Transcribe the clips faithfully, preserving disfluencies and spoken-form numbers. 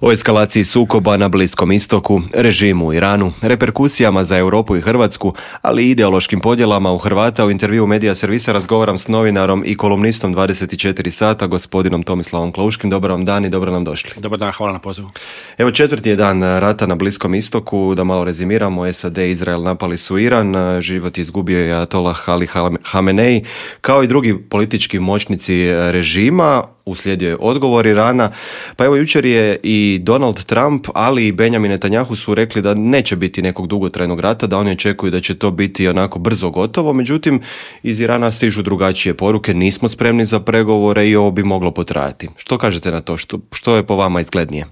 O eskalaciji sukoba na Bliskom istoku, režimu u Iranu, reperkusijama za Europu i Hrvatsku, ali i ideološkim podjelama u Hrvata u intervju Medija servisa razgovaram s novinarom i kolumnistom dvadeset četiri sata, gospodinom Tomislavom Klauškim. Dobar vam dan i dobro nam došli. Dobar dan, hvala na pozivu. Evo, četvrti je dan rata na Bliskom istoku. Da malo rezimiramo, S A D i Izrael napali su Iran, život izgubio je Ajatollah Ali Hamenei, kao i drugi politički moćnici režima. Uslijedio je odgovor Irana. Pa evo, jučer je i Donald Trump, ali i Benjamin Netanyahu su rekli da neće biti nekog dugotrajnog rata, da oni očekuju da će to biti onako brzo gotovo. Međutim, iz Irana stižu drugačije poruke, nismo spremni za pregovore i ovo bi moglo potrajati. Što kažete na to? Što, što je po vama izglednije?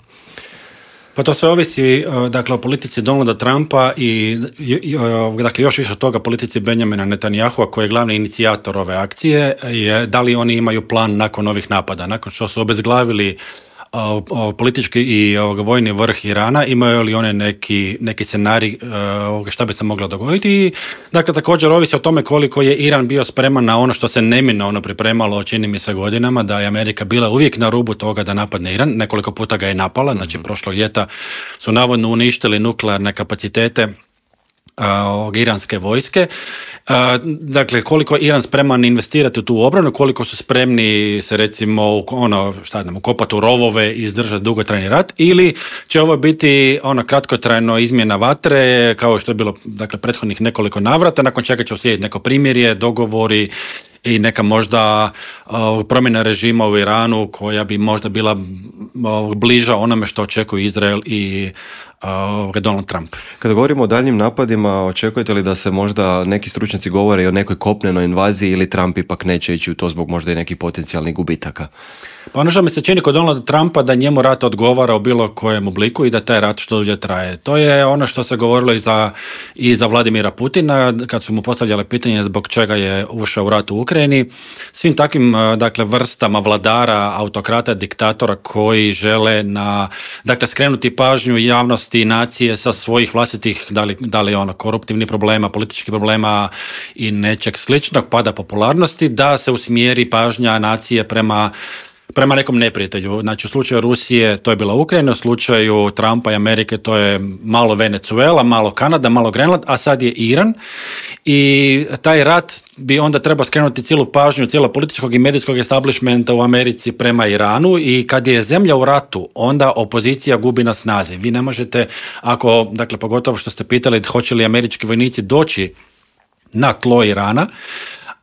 Pa to sve ovisi, dakle, o politici Donalda Trumpa i, i dakle, još više od toga politici Benjamina Netanyahua, koji je glavni inicijator ove akcije, je da li oni imaju plan nakon ovih napada, nakon što su obezglavili o, o, politički i o, vojni vrh Irana, imaju li one neki, neki scenarij o, šta bi se moglo dogoditi. I, dakle, također ovisi o tome koliko je Iran bio spreman na ono što se neminovno pripremalo, čini mi se, godinama, da je Amerika bila uvijek na rubu toga da napadne Iran. Nekoliko puta ga je napala, znači prošlog ljeta su navodno uništili nuklearne kapacitete Uh, iranske vojske. Uh, dakle, koliko je Iran spreman investirati u tu obranu, koliko su spremni se recimo ono, šta znam, ukopati u rovove i izdržati dugotrajni rat, ili će ovo biti ono kratkotrajno izmjena vatre, kao što je bilo, dakle, prethodnih nekoliko navrata, nakon čega će uslijediti neko primirje, dogovori i neka možda uh, promjena režima u Iranu koja bi možda bila uh, bliža onome što očekuju Izrael i uh, Donald Trump. Kada govorimo o daljnjim napadima, očekujete li da se možda neki stručnjaci govore i o nekoj kopnenoj invaziji, ili Trump ipak neće ići u to zbog možda i nekih potencijalnih gubitaka? Pa ono što mi se čini kod Donalda Trumpa, da njemu rat odgovara u bilo kojem obliku i da taj rat što dulje traje. To je ono što se govorilo i za, i za Vladimira Putina, kad su mu postavljali pitanje zbog čega je ušao u rat u Ukrajini. Svim takvim, dakle, vrstama vladara, autokrata, diktatora koji žele na, dakle, skrenuti pažnju javnosti i nacije sa svojih vlastitih, da li, da li ono, koruptivnih problema, političkih problema i nečeg sličnog, pada popularnosti, da se usmjeri pažnja nacije prema prema nekom neprijatelju. Znači, u slučaju Rusije to je bila Ukrajina, u slučaju Trumpa i Amerike to je malo Venezuela, malo Kanada, malo Grenland, a sad je Iran. I taj rat bi onda trebao skrenuti cijelu pažnju cijelo političkog i medijskog establishmenta u Americi prema Iranu, i kad je zemlja u ratu, onda opozicija gubi na snazi. Vi ne možete, ako, dakle, pogotovo što ste pitali hoće li američki vojnici doći na tlo Irana,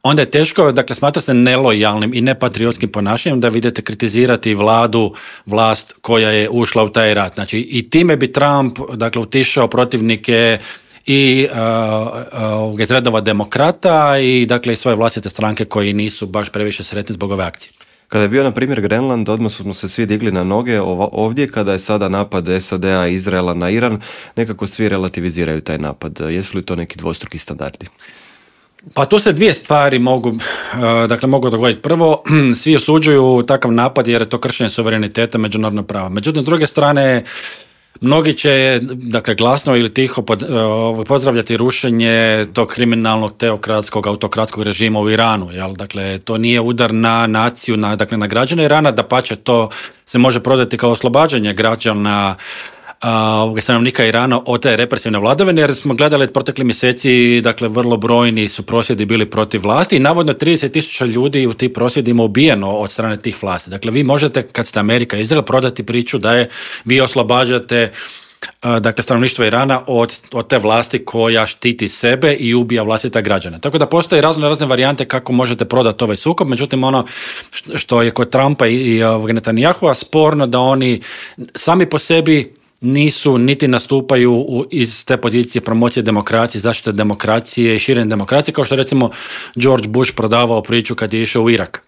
onda je teško, dakle, smatra se nelojalnim i nepatriotskim ponašanjem da vidite kritizirati vladu, vlast koja je ušla u taj rat. Znači, i time bi Trump, dakle, utišao protivnike i uh, uh, iz redova demokrata i, dakle, i svoje vlastite stranke koji nisu baš previše sretni zbog ove akcije. Kada je bio, na primjer, Grenland, odmah smo se svi digli na noge. Ovdje, kada je sada napad S A D-a i Izraela na Iran, nekako svi relativiziraju taj napad. Jesu li to neki dvostruki standardi? Pa tu se dvije stvari mogu, dakle, mogu dogoditi. Prvo, svi osuđuju takav napad jer je to kršenje suvereniteta, međunarodnog prava. Međutim, s druge strane, mnogi će, dakle, glasno ili tiho pod, pozdravljati rušenje tog kriminalnog, teokratskog, autokratskog režima u Iranu. Jel? Dakle, to nije udar na naciju, na, dakle, na građane Irana, dapače, to se može prodati kao oslobađanje građana Uh, stanovnika Irana od te represivne vladavine, jer smo gledali protekli mjeseci, dakle, vrlo brojni su prosvjedi bili protiv vlasti i navodno trideset tisuća ljudi u tim prosvjedima ubijeno od strane tih vlasti. Dakle, vi možete, kad ste Amerika i Izrael, prodati priču da je vi oslobađate uh, dakle, stanovništvo Irana od, od te vlasti koja štiti sebe i ubija vlastita građana. Tako da postoje razne razne varijante kako možete prodati ovaj sukob, međutim, ono što je kod Trumpa i, i uh, Netanyahua sporno, da oni sami po sebi nisu niti nastupaju u, iz te pozicije promocije demokracije, zaštite demokracije i širenje demokracije, kao što recimo George Bush prodavao priču kad je išao u Irak.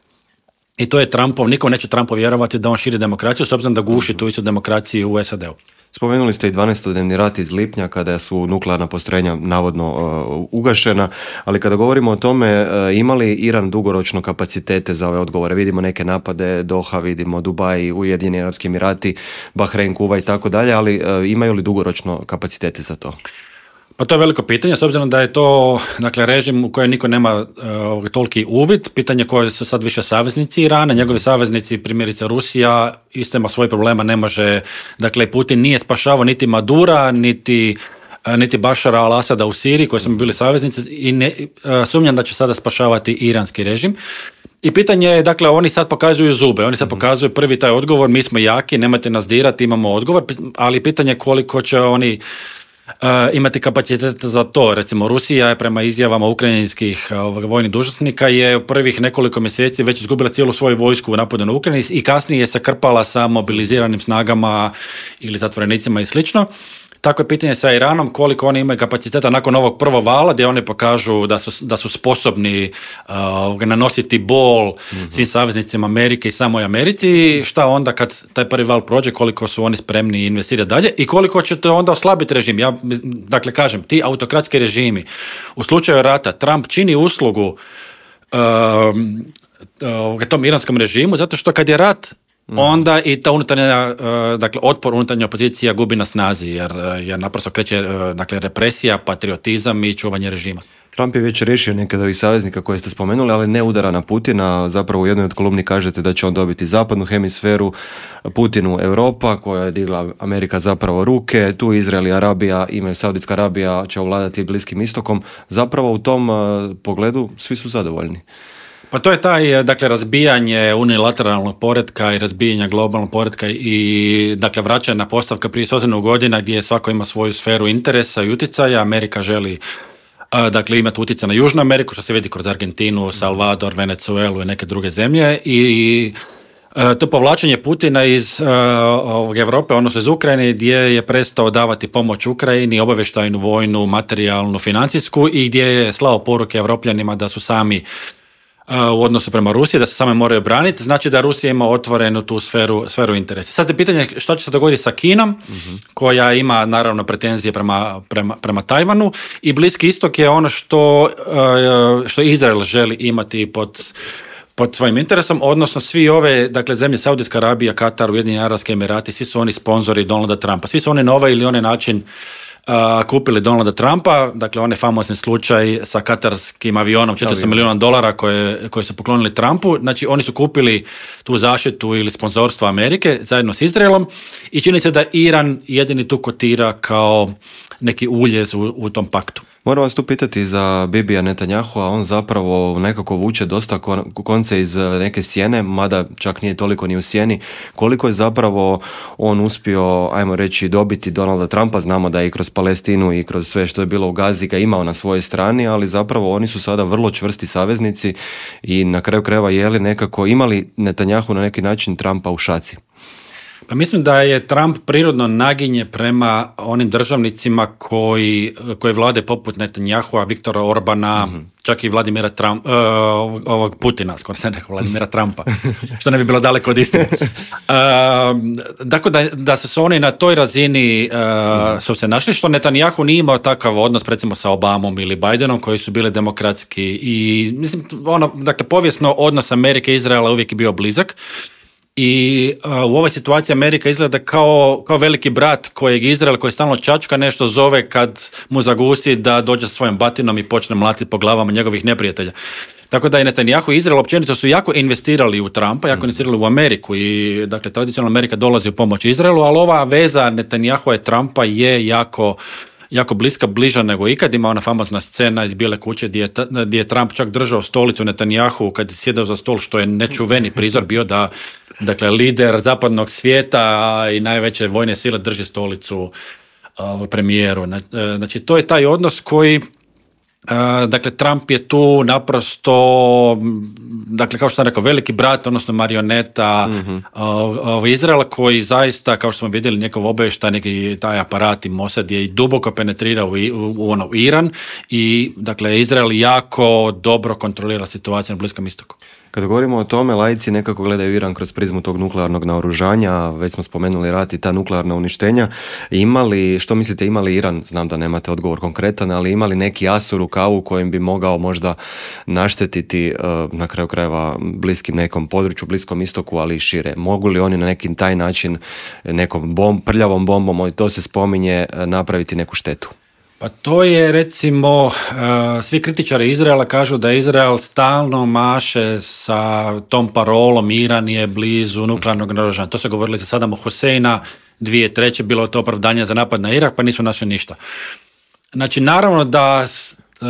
I to je Trumpov, niko neće Trumpu vjerovati da on širi demokraciju, s obzirom da guši tu istu demokraciju u S A D-u. Spomenuli ste i dvanaestodnevni rat iz lipnja kada su nuklearna postrojenja navodno uh, ugašena, ali kada govorimo o tome, uh, ima li Iran dugoročno kapacitete za ove odgovore? Vidimo neke napade, Doha, vidimo Dubaj, Ujedinjeni Arapski Emirati, Bahrein, Kuva i tako dalje, ali uh, imaju li dugoročno kapacitete za to? Pa to je veliko pitanje, s obzirom da je to dakle, režim u kojem niko nema uh, toliki uvid. Pitanje koji su sad više saveznici Irana, njegovi saveznici, primjerice Rusija, isto ima svoj problema, ne može, dakle Putin nije spašavao niti Madura, niti niti Bašara al-Asada u Siriji, koji su bili saveznici, i ne, uh, sumnjam da će sada spašavati iranski režim. I pitanje je, dakle, oni sad pokazuju zube, oni sad pokazuju prvi taj odgovor, mi smo jaki, nemojte nas dirati, imamo odgovor, ali pitanje je koliko će oni Uh, imati kapacitet za to. Recimo Rusija je prema izjavama ukrajinskih uh, vojnih dužnosnika je u prvih nekoliko mjeseci već izgubila cijelu svoju vojsku u napadu na Ukrajini i kasnije se krpala sa mobiliziranim snagama ili zatvorenicima i slično. Tako je pitanje sa Iranom, koliko oni imaju kapaciteta nakon ovog prvog vala gdje oni pokažu da su, da su sposobni uh, nanositi bol mm-hmm. svim saveznicima Amerike i samoj Americi, šta onda kad taj prvi val prođe, koliko su oni spremni investirati dalje i koliko će to onda oslabiti režim. Ja, dakle, kažem, ti autokratski režimi, u slučaju rata, Trump čini uslugu uh, uh, tom iranskom režimu, zato što kad je rat, onda i ta unutarnja, dakle, otpor unutarnja opozicija gubi na snazi, jer, jer naprosto kreće, dakle, represija, patriotizam i čuvanje režima. Trump je već riješio nekada ovih saveznika koje ste spomenuli, ali ne udara na Putina. Zapravo u jednoj od kolumni kažete da će on dobiti zapadnu hemisferu, Putinu Europa, koja je digla Amerika zapravo ruke, tu Izrael i Arabija imaju, Saudijska Arabija će ovladati Bliskim istokom. Zapravo u tom pogledu svi su zadovoljni. Pa to je taj, dakle, razbijanje unilateralnog poretka i razbijanja globalnog poretka i, dakle, vraćanje postavka prije stotinu godina gdje svako ima svoju sferu interesa i utjecaja. Amerika želi, dakle, imati utjecaj na Južnu Ameriku, što se vidi kroz Argentinu, Salvador, Venezuelu i neke druge zemlje, i to povlačenje Putina iz uh, Europe, odnosno iz Ukrajine, gdje je prestao davati pomoć Ukrajini, obavještajnu, vojnu, materijalnu, financijsku, i gdje je slao poruke Evropljanima da su sami u odnosu prema Rusiji, da se same moraju braniti, znači da Rusija ima otvorenu tu sferu, sferu interesa. Sad je pitanje što će se dogoditi sa Kinom, mm-hmm. koja ima naravno pretenzije prema, prema, prema Tajvanu, i Bliski istok je ono što, što Izrael želi imati pod, pod svojim interesom, odnosno svi ove, dakle, zemlje Saudijska Arabija, Katar, Ujedinjeni Arapski Emirati, svi su oni sponzori Donalda Trumpa, svi su oni na ovaj ili onaj način Uh, kupili Donalda Trumpa, dakle onaj famozni slučaj sa katarskim avionom četiristo milijuna dolara koje, koje su poklonili Trumpu, znači oni su kupili tu zaštitu ili sponzorstvo Amerike zajedno s Izraelom, i čini se da Iran jedini tu kotira kao neki uljez u, u tom paktu. Moram vas tu pitati za Bibija Netanyahua, on zapravo nekako vuče dosta konce iz neke sjene, mada čak nije toliko ni u sjeni. Koliko je zapravo on uspio, ajmo reći, dobiti Donalda Trumpa? Znamo da je i kroz Palestinu i kroz sve što je bilo u Gazi ga imao na svojoj strani, ali zapravo oni su sada vrlo čvrsti saveznici i na kraju krajeva je li nekako imali Netanyahu na neki način Trumpa u šaci? Pa mislim da je Trump prirodno naginje prema onim državnicima koji, koji vlade poput Netanyahua, Viktora Orbana, mm-hmm. čak i Vladimira Trump, uh, ovog Putina, skoro se nekako Vladimira Trumpa, što ne bi bilo daleko od istine. Uh, dakle, da, da su se oni na toj razini uh, su se našli, što Netanyahu nije imao takav odnos, recimo, sa Obamom ili Bidenom, koji su bili demokratski, i mislim, ono, dakle, povijesno odnos Amerike i Izraela uvijek je bio blizak. I uh, u ovoj situaciji Amerika izgleda kao, kao veliki brat kojeg Izrael, koji stalno čačka, nešto zove kad mu zagusti da dođe sa svojom batinom i počne mlatiti po glavama njegovih neprijatelja. Tako da je Netanyahu i Izrael općenito su jako investirali u Trumpa, jako investirali u Ameriku, i, dakle, tradicionalno Amerika dolazi u pomoć Izraelu, ali ova veza Netanyahua i Trumpa je jako jako bliska, bliža nego ikad. Ima ona famozna scena iz Bijele kuće gdje je, gdje je Trump čak držao stolicu Netanyahu kad je sjedao za stol, što je nečuveni prizor bio da, dakle, lider zapadnog svijeta i najveće vojne sile drži stolicu uh, premijeru. Znači, to je taj odnos koji, uh, dakle, Trump je tu naprosto, dakle, kao što sam rekao, veliki brat, odnosno marioneta mm-hmm. uh, Izraela, koji zaista, kao što smo vidjeli, njegov obavještaj, neki taj aparat i Mossad je i duboko penetrirao u, u, u ono, Iran, i, dakle, Izrael jako dobro kontrolira situaciju na Bliskom istoku. Kada govorimo o tome, laici nekako gledaju Iran kroz prizmu tog nuklearnog naoružanja, već smo spomenuli rat i ta nuklearna uništenja. Imali, što mislite, imali Iran, znam da nemate odgovor konkretan, ali imali neki as u rukavu kojim bi mogao možda naštetiti na kraju krajeva bliskim nekom području, Bliskom istoku, ali i šire? Mogu li oni na neki taj način nekom bomb, prljavom bombom, to se spominje, napraviti neku štetu? Pa to je recimo, uh, svi kritičari Izraela kažu da Izrael stalno maše sa tom parolom Iran je blizu nuklearnog naoružanja. To se govorili za Sadama Huseina, dvije treće bilo to opravdanje za napad na Irak, pa nisu našli ništa. Znači, naravno da uh, uh,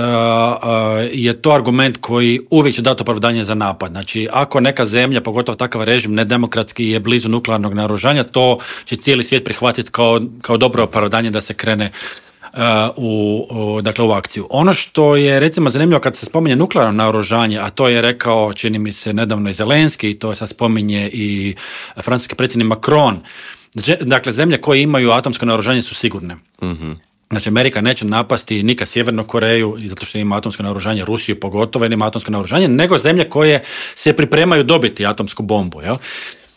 je to argument koji uvijek će dati opravdanje za napad. Znači, ako neka zemlja, pogotovo takav režim, nedemokratski je blizu nuklearnog naoružanja, to će cijeli svijet prihvatiti kao, kao dobro opravdanje da se krene Uh, u, u, dakle, u akciju. Ono što je recimo zanimljivo kad se spominje nuklearno naoružanje, a to je rekao, čini mi se, nedavno i Zelenski, i to sad spominje i francuski predsjednik Macron, dakle, zemlje koje imaju atomsko naoružanje su sigurne. Mm-hmm. Znači, Amerika neće napasti nikad Sjevernu Koreju, zato što ima atomsko naoružanje, Rusiju pogotovo, jer ima atomsko naoružanje, nego zemlje koje se pripremaju dobiti atomsku bombu, jel?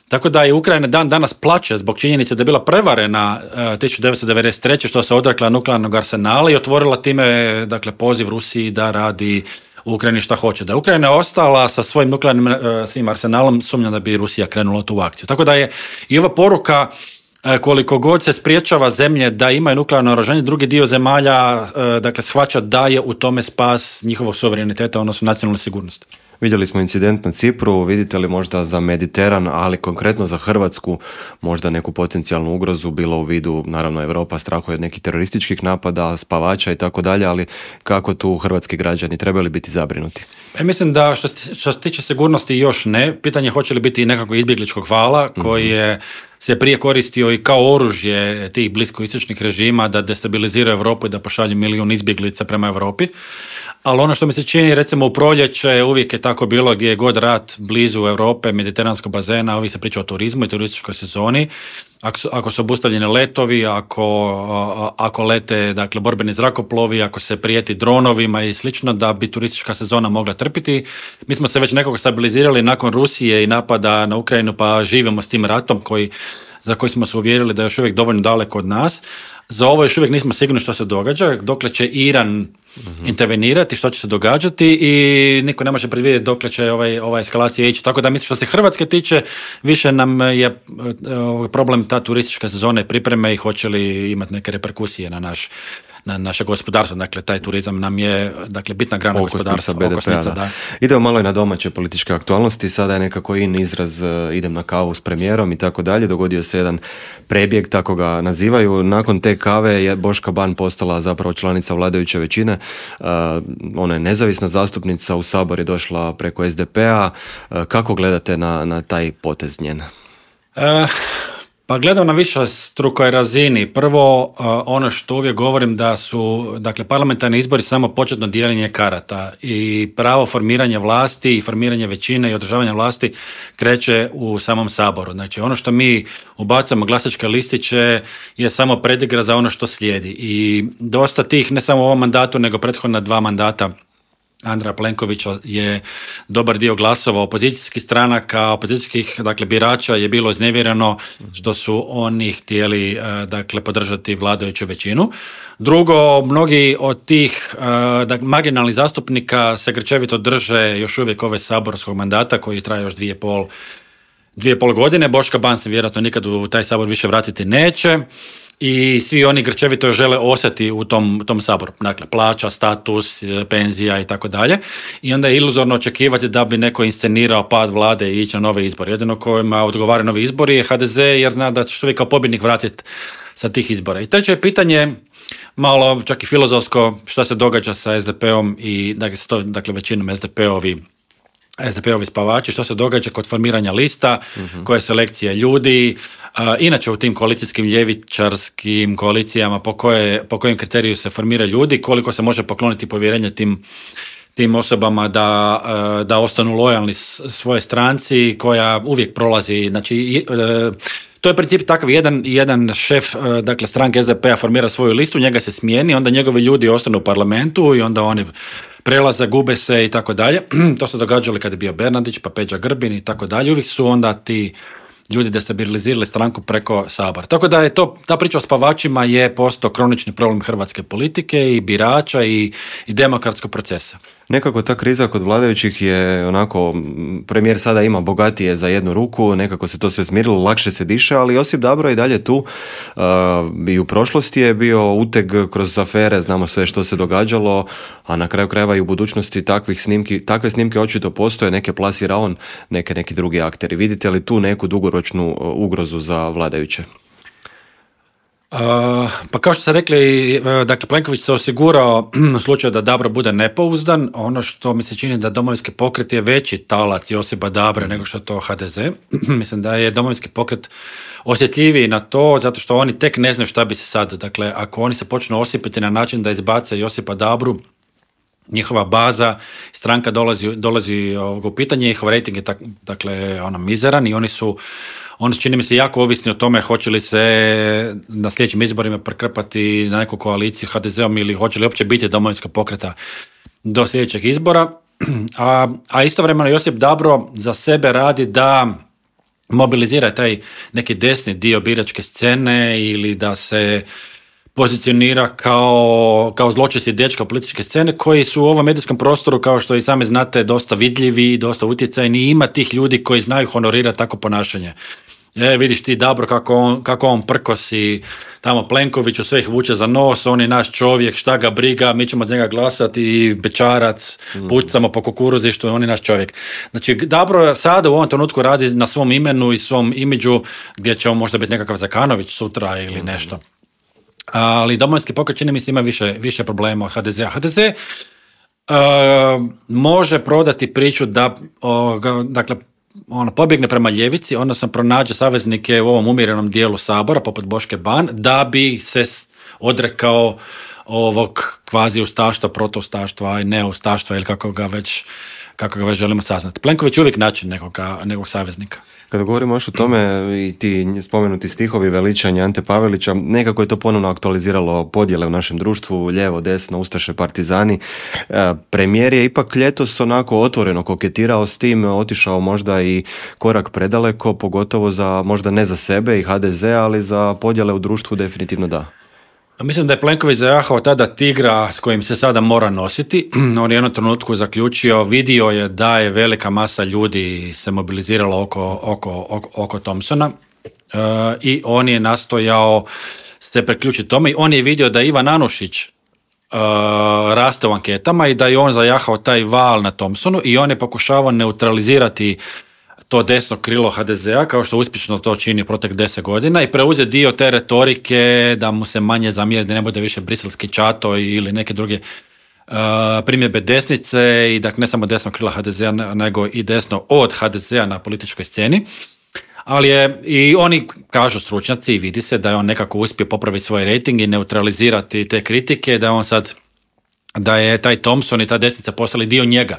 Tako da je Ukrajina dan danas plače zbog činjenice da je bila prevarena uh, tisuću devetsto devedeset treće što se odrekla nuklearnog arsenala i otvorila time, dakle, poziv Rusiji da radi u Ukrajini šta hoće. Da je Ukrajina ostala sa svojim nuklearnim uh, svim arsenalom, sumnjam da bi Rusija krenula tu akciju. Tako da je i ova poruka, uh, koliko god se spriječava zemlje da imaju nuklearno naoružanje, drugi dio zemalja uh, dakle, shvaća da je u tome spas njihovog suvereniteta, odnosno nacionalne sigurnosti. Vidjeli smo incident na Cipru, vidite li možda za Mediteran, ali konkretno za Hrvatsku, možda neku potencijalnu ugrozu, bilo u vidu, naravno, Europa strahuje od nekih terorističkih napada, spavača i tako dalje, ali kako tu hrvatski građani trebali biti zabrinuti? E, mislim da što, što se tiče sigurnosti još ne. Pitanje hoće li biti nekako izbjegličkog vala koji je se prije koristio i kao oružje tih bliskoistočnih režima da destabiliziraju Europu i da pošalju milijun izbjeglica prema Europi. Ali ono što mi se čini, recimo u proljeće, uvijek je tako bilo gdje je god rat blizu Europe, mediteranskog bazena, uvijek se priča o turizmu i turističkoj sezoni. Ako su, ako su obustavljeni letovi, ako, ako lete, dakle, borbeni zrakoplovi, ako se prijeti dronovima i slično, da bi turistička sezona mogla trpiti. Mi smo se već nekako stabilizirali nakon Rusije i napada na Ukrajinu, pa živimo s tim ratom koji, za koji smo se uvjerili da je još uvijek dovoljno daleko od nas. Za ovo još uvijek nismo sigurni što se događa, dokle će Iran mm-hmm. intervenirati, što će se događati i niko ne može predvidjeti dokle će ovaj, ova eskalacija ići. Tako da mislim što se Hrvatske tiče, više nam je problem ta turistička sezona i pripreme i hoće li imati neke reperkusije na naš na naše gospodarstvo, dakle taj turizam nam je, dakle, bitna grana gospodarstva. B D P-a, okosnica, da. Idemo malo i na domaće političke aktualnosti, sada je nekako in izraz uh, idem na kavu s premijerom i tako dalje, dogodio se jedan prebjeg, tako ga nazivaju, nakon te kave je Boška Ban postala zapravo članica vladajuće većine, uh, ona je nezavisna zastupnica, u Sabor je došla preko S D P-a, uh, kako gledate na, na taj potez njen? Uh... Pa gledam na višestrukoj razini. Prvo, ono što uvijek govorim da su, dakle, parlamentarni izbori samo početno dijeljenje karata i pravo formiranja vlasti i formiranje većine i održavanja vlasti kreće u samom Saboru. Znači, ono što mi ubacamo glasačke listiće je samo predigra za ono što slijedi. I dosta tih, ne samo u ovom mandatu, nego prethodna dva mandata Andreja Plenkovića je dobar dio glasova opozicijskih stranaka, opozicijskih, dakle, birača je bilo iznevjereno što su oni htjeli, dakle, podržati vladajuću većinu. Drugo, mnogi od tih dakle, marginalnih zastupnika se grčevito drže još uvijek ove saborskog mandata koji traje još dvije pol, dvije pol godine. Boška Ban se vjerojatno nikad u taj sabor više vratiti neće. I svi oni grčevito žele ostati u tom, tom saboru. Dakle, plaća, status, penzija i tako dalje. I onda je iluzorno očekivati da bi neko inscenirao pad vlade i ići na nove izbore. Jedino kojima odgovara novi izbori je H D Z, jer zna da će što kao pobjednik vratiti sa tih izbora. I treće je pitanje, malo čak i filozofsko, šta se događa sa S D P-om i dakle, dakle većinom S D P-ovi S D P-ovi spavači, što se događa kod formiranja lista, uh-huh. koje selekcije ljudi, uh, inače u tim koalicijskim ljevičarskim koalicijama po, koje, po kojem kriteriju se formiraju ljudi, koliko se može pokloniti povjerenje tim, tim osobama da, uh, da ostanu lojalni svoje stranci koja uvijek prolazi, znači uh, to je princip takav, jedan, jedan šef, dakle, stranke S D P-a formira svoju listu, njega se smijeni, onda njegovi ljudi ostanu u parlamentu i onda oni prelaze, gube se i tako dalje. To se događalo kad je bio Bernardić, pa Peđa Grbin i tako dalje. Uvijek su onda ti ljudi destabilizirali stranku preko Sabora. Tako da je to, ta priča o spavačima je postao kronični problem hrvatske politike i birača i, i demokratskog procesa. Nekako ta kriza kod vladajućih je onako, premijer sada ima bogatije za jednu ruku, nekako se to sve smirilo, lakše se diše, ali Josip Dabro je i dalje tu. Uh, i u prošlosti je bio uteg kroz afere, znamo sve što se događalo, a na kraju krajeva i u budućnosti takvih snimki, takve snimke očito postoje, neke plasira on, neke neki drugi akteri. Vidite li tu neku dugoročnu ugrozu za vladajuće? Uh, pa kao što ste rekli, dakle Plenković se osigurao u slučaju da Dabro bude nepouzdan. Ono što mi se čini da Domovinski pokret je veći talac Josipa Dabre nego što je to H D Z. Mislim da je Domovinski pokret osjetljiviji na to, zato što oni tek ne znaju šta bi se sad, dakle ako oni se počnu osipiti na način da izbace Josipa Dabru, njihova baza, stranka dolazi, dolazi u pitanje, njihov rating je tak, dakle ono mizeran i oni su Oni su, čini mi se, jako ovisni o tome hoće li se na sljedećim izborima prekrpati na neku koaliciju H D Z-om ili hoće li uopće biti Domovinskog pokreta do sljedećeg izbora. A, a istovremeno Josip Dabro za sebe radi da mobilizira taj neki desni dio biračke scene ili da se pozicionira kao, kao zločesti dečka političke scene koji su u ovom medijskom prostoru, kao što i sami znate, dosta vidljivi, dosta utjecajni i ima tih ljudi koji znaju honorirati tako ponašanje. E, vidiš ti Dabro kako on, kako on prkosi tamo Plenkoviću, sve ih vuče za nos, on je naš čovjek, šta ga briga, mi ćemo od njega glasati, bečarac, pucamo po kukuruzištu, on je naš čovjek. Znači, Dabro sada u ovom trenutku radi na svom imenu i svom imidžu, gdje će on možda biti nekakav Zakanović sutra ili nešto. Ali Domovinski pokret, čini mi se, ima više, više problema od H D Z-a. H D Z uh, može prodati priču da uh, dakle, ono, pobjegne prema ljevici, odnosno pronađe saveznike u ovom umjerenom dijelu Sabora, poput Boške Ban, da bi se odrekao ovog kvazi ustaštva, protoustaštva i neustaštva ili kako ga već, kako ga već želimo saznati. Plenković uvijek naći nekog, nekog saveznika. Kada govorimo još o tome i ti spomenuti stihovi veličanja Ante Pavelića, nekako je to ponovno aktualiziralo podjele u našem društvu, lijevo, desno, ustaše, partizani. Premijer je ipak ljetos onako otvoreno koketirao s tim, otišao možda i korak predaleko, pogotovo za, možda ne za sebe i H D Z, ali za podjele u društvu definitivno da. Mislim da je Plenković zajahao tada tigra s kojim se sada mora nositi. On je u jednom trenutku zaključio, vidio je da je velika masa ljudi se mobilizirala oko, oko, oko, oko Thompsona e, i on je nastojao se priključiti tome i on je vidio da Ivan Anušić e, raste u anketama i da je on zajahao taj val na Thompsonu i on je pokušavao neutralizirati to desno krilo H D Z-a, kao što uspješno to čini protek deset godina i preuze dio te retorike da mu se manje zamjeri, da ne bude više briselski čato ili neke druge uh, primjedbe desnice i dakle ne samo desno krilo H D Z-a nego i desno od H D Z-a na političkoj sceni. Ali je, i oni kažu stručnjaci i vidi se da je on nekako uspio popraviti svoj rating i neutralizirati te kritike, da je on sad, da je taj Thompson i ta desnica postali dio njega.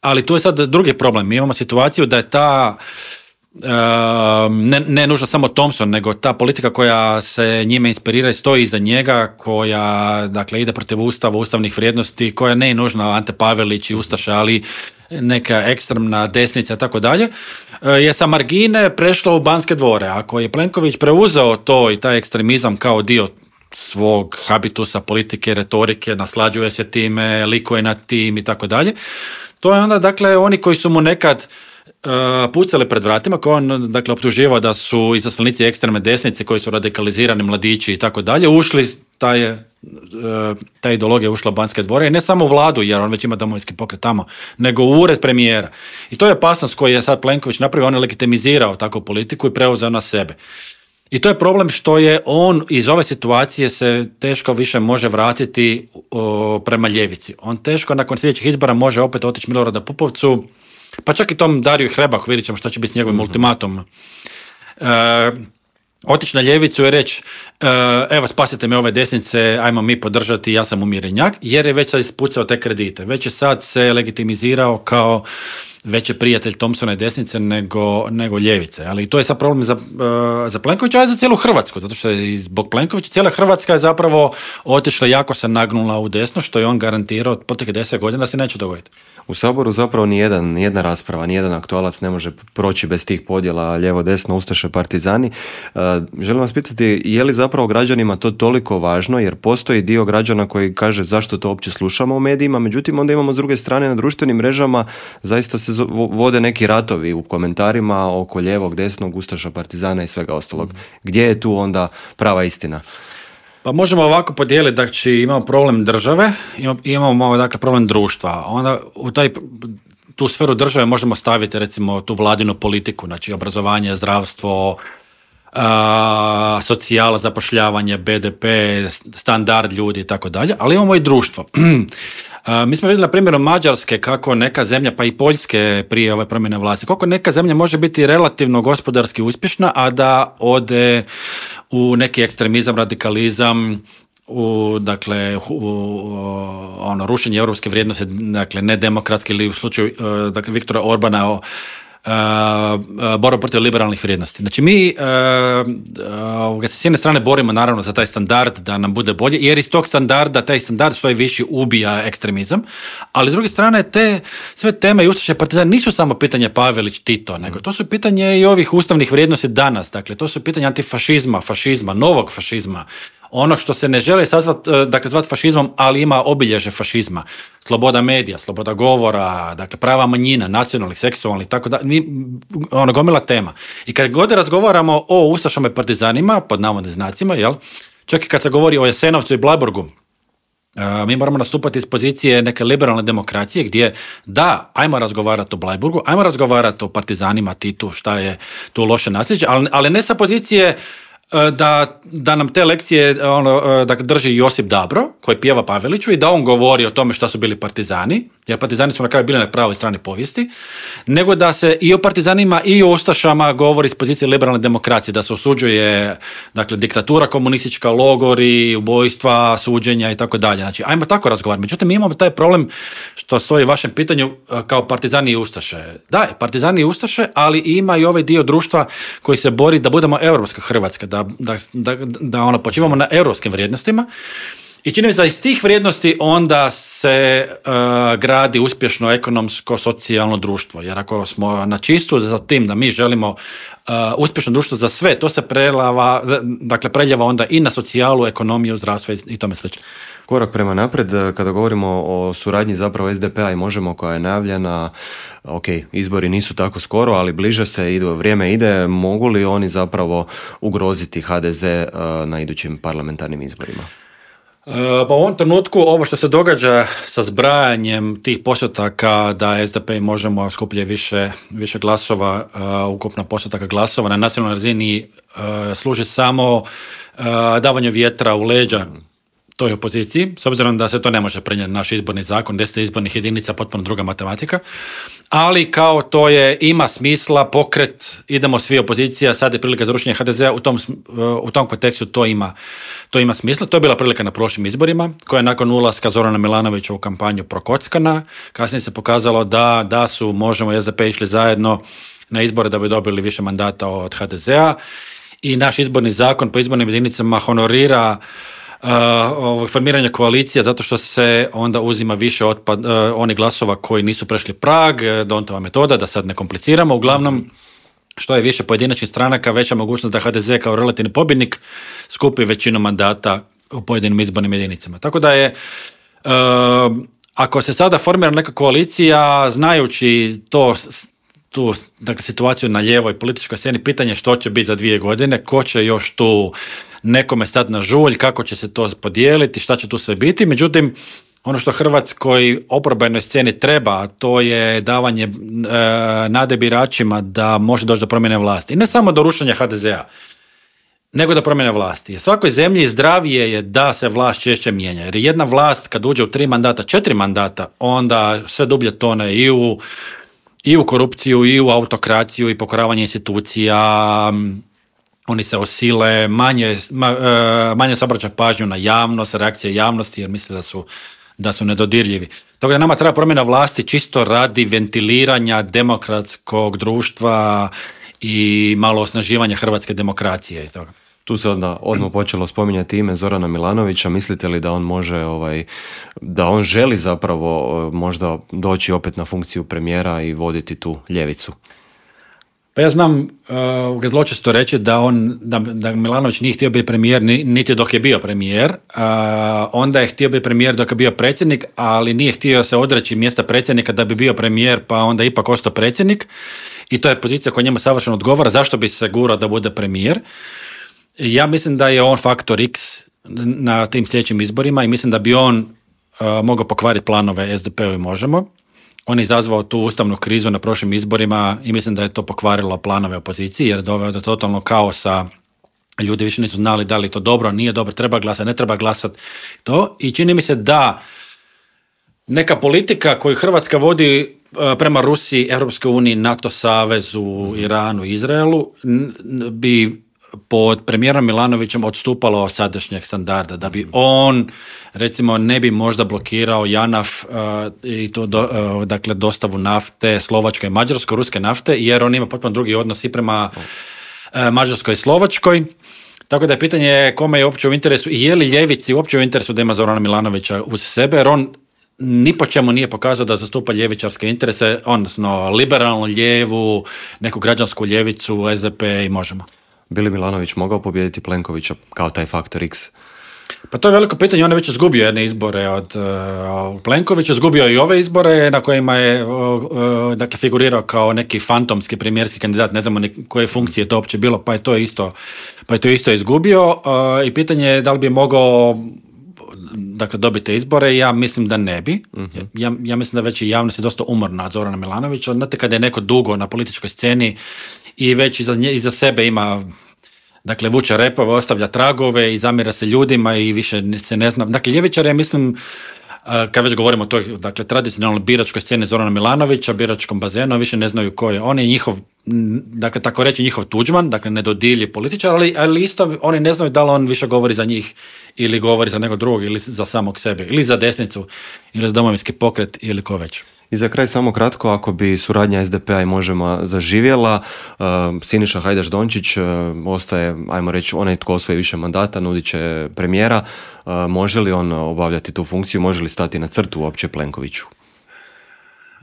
Ali tu je sad drugi problem. Mi imamo situaciju da je ta, uh, ne, ne nužno samo Thompson, nego ta politika koja se njime inspirira i stoji iza njega, koja dakle ide protiv ustava, ustavnih vrijednosti, koja ne je nužno Ante Pavelić i ustaša, ali neka ekstremna desnica i tako dalje, je sa margine prešla u Banske dvore. Ako je Plenković preuzeo to i taj ekstremizam kao dio svog habitusa, politike, retorike, naslađuje se time, likuje nad tim i tako dalje, to je onda, dakle, oni koji su mu nekad uh, pucali pred vratima, koji on, dakle, optuživao da su izaslanici ekstremne desnice, koji su radikalizirani mladići i tako dalje, ušli, ta je, uh, ta ideologija je ušla u Banske dvore, i ne samo u vladu, jer on već ima Domovinski pokret tamo, nego u ured premijera. I to je opasnost koju je sad Plenković napravio, on je legitimizirao takvu politiku i preuzeo na sebe. I to je problem što je on iz ove situacije se teško više može vratiti o, prema ljevici. On teško nakon sljedećih izbora može opet otići Milorada Pupovcu, pa čak i tom Dariju Hrebaku, vidjet ćemo šta će biti s njegovim mm-hmm. ultimatom. E, otići na ljevicu i reći, e, evo spasite me ove desnice, ajmo mi podržati, ja sam umirenjak, jer je već sad ispucao te kredite. Već je sad se legitimizirao kao veći prijatelj Thompsona i desnice nego, nego ljevice. Ali to je sad problem za, uh, za Plenkovića, ali za cijelu Hrvatsku, zato što je zbog Plenkovića cijela Hrvatska je zapravo otišla, jako se nagnula u desno, što je on garantirao od proteklih deset godina da se neće dogoditi. U Saboru zapravo nijedan, nijedna rasprava, nijedan aktualac ne može proći bez tih podjela lijevo, desno, ustaše, partizani. Uh, želim vas pitati, je li zapravo građanima to toliko važno, jer postoji dio građana koji kaže zašto to uopće slušamo u medijima, međutim onda imamo s druge strane na društvenim mrežama zaista se vode neki ratovi u komentarima oko lijevog, desnog, ustaša, partizana i svega ostalog. Gdje je tu onda prava istina? Pa možemo ovako podijeliti, znači imamo problem države, imamo dakle problem društva. Onda u taj, tu sferu države možemo staviti recimo tu vladinu politiku, znači obrazovanje, zdravstvo, a, socijala, zapošljavanje, be de pe, standard ljudi i tako dalje, ali imamo i društvo. A, mi smo vidjeli na primjeru Mađarske kako neka zemlja, pa i Poljske prije ove promjene vlasti, kako neka zemlja može biti relativno gospodarski uspješna, a da ode u neki ekstremizam, radikalizam, u, dakle, u, ono, rušenje europske vrijednosti, dakle, nedemokratski ili u slučaju dakle, Viktora Orbana o Uh, uh, borba protiv liberalnih vrijednosti. Znači mi uh, uh, s jedne strane borimo naravno za taj standard da nam bude bolje, jer iz tog standarda, taj standard što je viši ubija ekstremizam, ali s druge strane te sve teme i ustaše partizani nisu samo pitanje Pavelić, Tito, nego to su pitanje i ovih ustavnih vrijednosti danas, dakle to su pitanje antifašizma, fašizma, novog fašizma, onog što se ne želi sazvat, dakle, zvat fašizmom, ali ima obilježe fašizma. Sloboda medija, sloboda govora, dakle, prava manjina, nacionalnih, seksualnih, tako da, mi, ono, gomila tema. I kad god razgovaramo o ustašama i partizanima, pod navodnim znacima, jel, čak i kad se govori o Jasenovcu i Bleiburgu, Uh, mi moramo nastupati iz pozicije neke liberalne demokracije gdje da, ajmo razgovarati o Bleiburgu, ajmo razgovarati o partizanima, Titu, šta je tu loše nasljeđe, ali, ali ne sa pozicije Da, da nam te lekcije ono, da drži Josip Dabro, koji pjeva Paveliću i da on govori o tome šta su bili partizani, jer partizani su na kraju bili na pravoj strani povijesti, nego da se i o partizanima i o ustašama govori iz pozicije liberalne demokracije, da se osuđuje dakle, diktatura komunistička, logori, ubojstva, suđenja i tako dalje. Znači, ajmo tako razgovarati. Međutim, mi imamo taj problem što stoji u vašem pitanju kao partizani i ustaše. Da, partizani i ustaše, ali ima i ovaj dio društva koji se bori da budemo europska Hrvatska, da Da, da, da ono, počivamo na europskim vrijednostima i čini mi se da iz tih vrijednosti onda se uh, gradi uspješno ekonomsko, socijalno društvo, jer ako smo na čistu za tim da mi želimo uh, uspješno društvo za sve, to se prelava, dakle preljeva onda i na socijalu, ekonomiju, zdravstvo i tome slično. Korak prema napred, kada govorimo o suradnji zapravo es de pe-a i Možemo koja je najavljena, ok, izbori nisu tako skoro, ali bliže se, idu, vrijeme ide, mogu li oni zapravo ugroziti ha de ze na idućim parlamentarnim izborima? Pa u ovom trenutku ovo što se događa sa zbrajanjem tih postotaka da es de pe i Možemo skuplje više, više glasova, uh, ukupno postotaka glasova na nacionalnoj razini uh, služi samo uh, davanju vjetra u leđa toj opoziciji, s obzirom da se to ne može prenijeti naš izborni zakon, deset izbornih jedinica, potpuno druga matematika, ali kao to je, ima smisla, pokret, idemo svi opozicija, sad je prilika za rušenje ha de ze-a, u tom, u tom kontekstu to ima, to ima smisla. To je bila prilika na prošlim izborima, koja je nakon ulaska Zorana Milanovića u kampanju prokockana. Kasnije se pokazalo da, da su Možemo i es de pe išli zajedno na izbore da bi dobili više mandata od ha de ze-a i naš izborni zakon po izbornim jedinicama honorira Uh, formiranje koalicija zato što se onda uzima više otpad, uh, onih glasova koji nisu prešli prag, Dontova metoda, da sad ne kompliciramo. Uglavnom, što je više pojedinačnih stranaka, veća mogućnost da ha de ze kao relativni pobjednik skupi većinu mandata u pojedinim izbornim jedinicama. Tako da je, uh, ako se sada formira neka koalicija, znajući to, tu dakle, situaciju na lijevoj političkoj sceni, pitanje što će biti za dvije godine, ko će još tu nekome stati na žulj, kako će se to podijeliti, šta će tu sve biti. Međutim, ono što Hrvatskoj oporbenoj sceni treba, to je davanje e, nade biračima da može doći do promjene vlasti. I ne samo do rušenja ha de ze-a, nego do promjene vlasti. U svakoj zemlji zdravije je da se vlast češće mijenja. Jer jedna vlast kad uđe u tri mandata, četiri mandata, onda sve dublje tone i u, i u korupciju, i u autokraciju, i pokoravanje institucija. Oni se osile, manje, manje se obraća pažnju na javnost, reakcije javnosti, jer misle da su, da su nedodirljivi. Toga nama treba promjena vlasti čisto radi ventiliranja demokratskog društva i malo osnaživanja hrvatske demokracije i toga. Tu se onda odmah počelo spominjati ime Zorana Milanovića. Mislite li da on može, ovaj, da on želi zapravo možda doći opet na funkciju premijera i voditi tu ljevicu? Pa ja znam uh, zločesto reći da on, da, da Milanović nije htio biti premijer niti dok je bio premijer, uh, onda je htio biti premijer dok je bio predsjednik, ali nije htio se odreći mjesta predsjednika da bi bio premijer, pa onda ipak ostao predsjednik i to je pozicija koja njemu savršeno odgovara. Zašto bi se gurao da bude premijer? Ja mislim da je on faktor X na tim sljedećim izborima i mislim da bi on uh, mogao pokvariti planove es de pe-u i Možemo. On je izazvao tu ustavnu krizu na prošlim izborima i mislim da je to pokvarilo planove opozicije jer je doveo do totalnog kaosa. Ljudi više nisu znali da li to dobro, nije dobro, treba glasati, ne treba glasati. To. I čini mi se da neka politika koju Hrvatska vodi prema Rusiji, Europskoj uniji, NATO savezu, Iranu, Izraelu bi pod premijerom Milanovićem odstupalo od sadašnjeg standarda, da bi on recimo ne bi možda blokirao JANAF uh, i to do, uh, dakle dostavu nafte Slovačkoj i Mađarskoj, ruske nafte, jer on ima potpuno drugi odnos i prema uh, Mađarskoj i Slovačkoj. Tako da je pitanje kome je uopće u interesu i je li ljevici uopće u interesu da ima Zorana Milanovića uz sebe, jer on ni po čemu nije pokazao da zastupa ljevičarske interese, odnosno liberalnu ljevu, neku građansku ljevicu, es de pe i Možemo. Bi li Milanović mogao pobijediti Plenkovića kao taj faktor X? Pa to je veliko pitanje, on je već izgubio jedne izbore od uh, Plenkovića, izgubio i ove izbore na kojima je uh, uh, dakle, figurirao kao neki fantomski premijerski kandidat, ne znamo ni koje funkcije to uopće bilo, pa je to isto, pa je to isto izgubio uh, i pitanje je da li bi mogao dakle, dobiti izbore, ja mislim da ne bi. Uh-huh. Ja, ja mislim da već i javnost je dosta umorna od Zorana Milanovića. Znate, kada je neko dugo na političkoj sceni i već iza, nje, iza sebe ima, dakle, vuče repove, ostavlja tragove i zamjera se ljudima i više se ne zna. Dakle, ljevičar je, mislim, kad već govorimo o toj, dakle, tradicionalnoj biračkoj sceni Zorana Milanovića, biračkom bazenu, više ne znaju ko je. On je njihov, dakle, tako reći njihov Tuđman, dakle, nedodilji političar, ali, ali isto oni ne znaju da li on više govori za njih ili govori za nekog drugog ili za samog sebe, ili za desnicu, ili za Domovinski pokret, ili ko već. I za kraj samo kratko, ako bi suradnja es de pe-a i Možemo zaživjela, uh, Siniša Hajdaš Dončić uh, ostaje, ajmo reći, onaj tko osvoji više mandata, nudit će premijera. Uh, može li on obavljati tu funkciju, može li stati na crtu uopće Plenkoviću?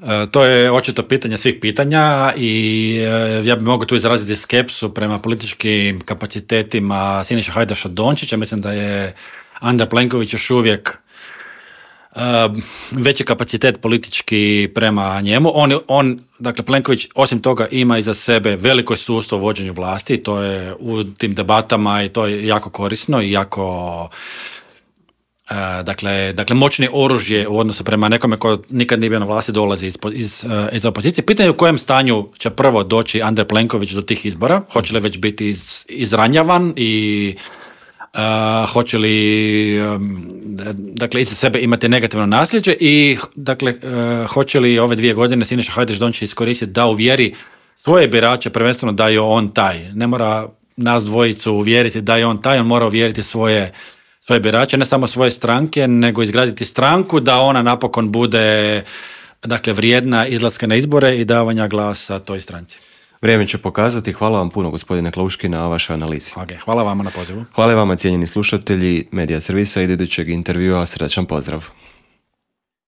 E, to je očito pitanje svih pitanja i e, ja bih mogao tu izraziti skepsu prema političkim kapacitetima Siniša Hajdaša Dončića. Mislim da je Andrej Plenković još uvijek Uh, veći kapacitet politički prema njemu. On, on, dakle, Plenković osim toga ima iza sebe veliko iskustvo u vođenju vlasti, to je u tim debatama i to je jako korisno i jako uh, dakle, dakle moćni oružje u odnosu prema nekome ko nikad nije bio na vlasti, dolazi iz, iz, uh, iz opozicije. Pitanje je u kojem stanju će prvo doći Andrej Plenković do tih izbora, hoće li već biti iz, izranjavan i Uh, hoće li um, dakle iza sebe imati negativno nasljeđe i dakle uh, hoće li ove dvije godine Siniša Hajdaš Dončić iskoristiti da uvjeri svoje birače, prvenstveno da je on taj. Ne mora nas dvojicu uvjeriti da je on taj, on mora uvjeriti svoje, svoje birače, ne samo svoje stranke, nego izgraditi stranku da ona napokon bude, dakle, vrijedna izlaska na izbore i davanja glasa toj stranci. Vrijeme će pokazati. Hvala vam puno, gospodine Klauški, na vašoj analizi. Okay, hvala vama na pozivu. Hvala vama, cijenjeni slušatelji Medija servisa i idućeg intervjua. Srdačan pozdrav.